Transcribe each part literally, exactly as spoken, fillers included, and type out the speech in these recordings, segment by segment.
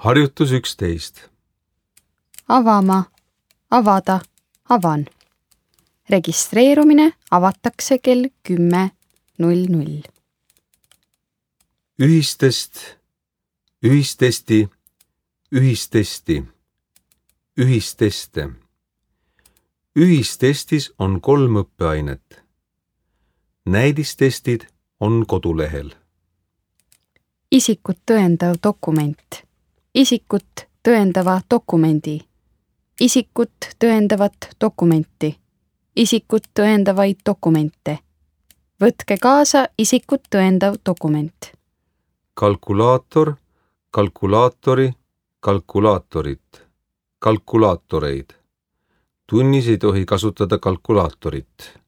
Harjutus üksteist. Avama, avada, avan. Registreerumine avatakse kell kümme null null. Ühistest, ühistesti, ühistesti, ühisteste. Ühistestis on kolm õppeainet. Näidistestid on kodulehel. Isikut tõendav dokument. Isikut tõendava dokumendi. Isikut tõendavat dokumenti. Isikut tõendavaid dokumente. Võtke kaasa isikut tõendav dokument. Kalkulaator, kalkulaatori, kalkulaatorit, kalkulaatoreid. Tunnis ei tohi kasutada kalkulaatorit.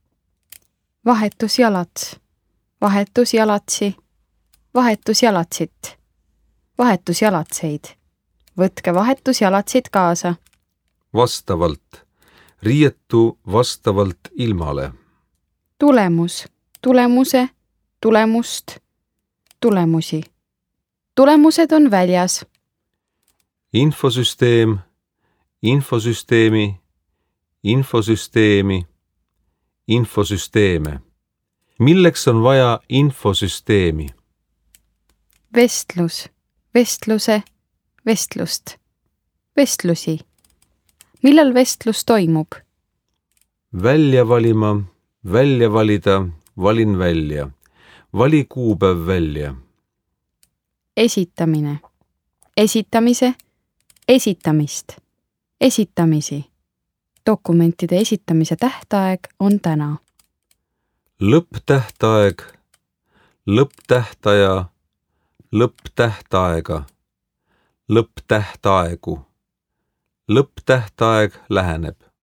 Vahetusjalats, vahetusjalatsi, vahetusjalatsit, vahetusjalatseid. Võtke vahetusjalatsid kaasa. Vastavalt, riietu vastavalt ilmale. Tulemus, tulemuse, tulemust, tulemusi. Tulemused on väljas. Infosüsteem, infosüsteemi, infosüsteemi, infosüsteeme. Milleks on vaja infosüsteemi? Vestlus, vestluse, vestlust, vestlusi. Millal vestlus toimub? Välja valima, välja valida, valin välja. Vali kuupäev välja. Esitamine, esitamise, esitamist, esitamisi. Dokumentide esitamise tähtaeg on täna. Lõpptähtaeg, lõpptähtaja, lõpptähtaega, lõpptähtaegu. Lõpptähtaeg läheneb.